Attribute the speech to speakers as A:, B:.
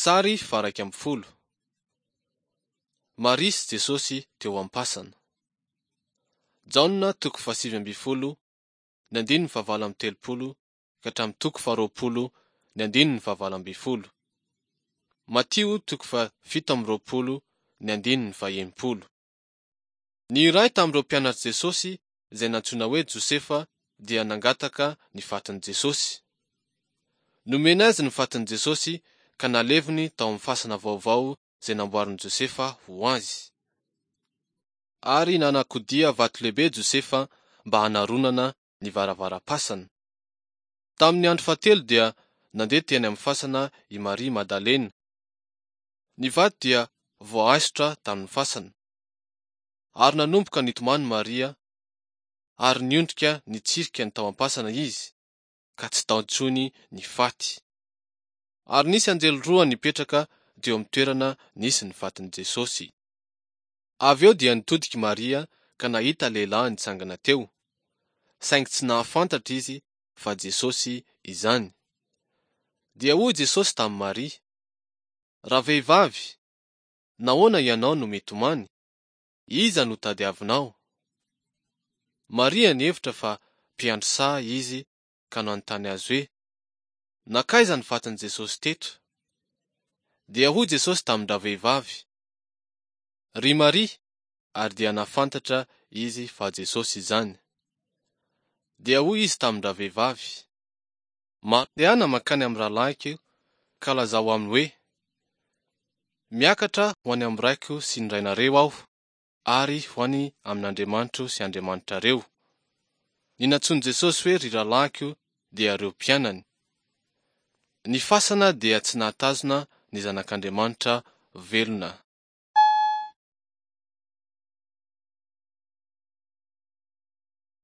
A: Sary faha-11. Maria sy Jesosy teo am-pasana. Jaona toko faha-19 ny andininy faha-38 ka hatramin'ny toko faha-20 ny andininy faha-18. Matio toko faha-27 ny andininy faha-60. Ny iray tamin'ireo mpianatr'i Jesosy izay nantsoina hoe Josefa dia nangataka ny fatin'i Jesosy. Nomena azy ny fatin'i Jesosy ka naleviny tao amin'ny fasana vaovao izay namboarin'i Josefa ho azy. Ary nanakodia vato lehibe Josefa mba hanaronana ny varavaram-pasana. Tamin'ny andro fahatelo dia nandeha teny amin'ny fasana i Maria Madalena. Ny vato dia voaaisotra tamin'ny fasana. Ary nanomboka nitomany Maria, ary niondrika nitsirika ny tao am-pasana izy, ka tsy tao intsony ny faty. Ary nisy anjely roa nipetraka teo amin'ny toerana nisy ny fatin'i Jesosy. Avy eo dia nitodika i Maria ka nahita lehilahy nitsangana teo, saingy tsy nahafantatra izy fa Jesosy izany. Dia hoy Jesosy tamin'i Maria, Ravehivavy, nahoana ianao no mitomany? Iza no tadiavinao? Maria nihevitra fa mpiandry saha izy ka nanontany azy hoe, Nankaiza ny fatin'i Jesosy teto? Dia hoy Jesosy tamin-dravehivavy, Ry Maria! Ary dia nahafantatra izy fa Jesosy izany. Dia hoy izy tamin-dravehivavy, Mandehana mankany amin'ny rahalahiko ka lazao aminy hoe, Miakatra ho any amin'ny Raiko sy ny Rainareo aho, ary ho any amin'Andriamanitro sy Andriamanitrareo. Ny nantsoin'i Jesosy hoe ry rahalahiko dia ireo mpianany. Ny fasana dia tsy nahatazona ny Zanak'Andriamanitra velona.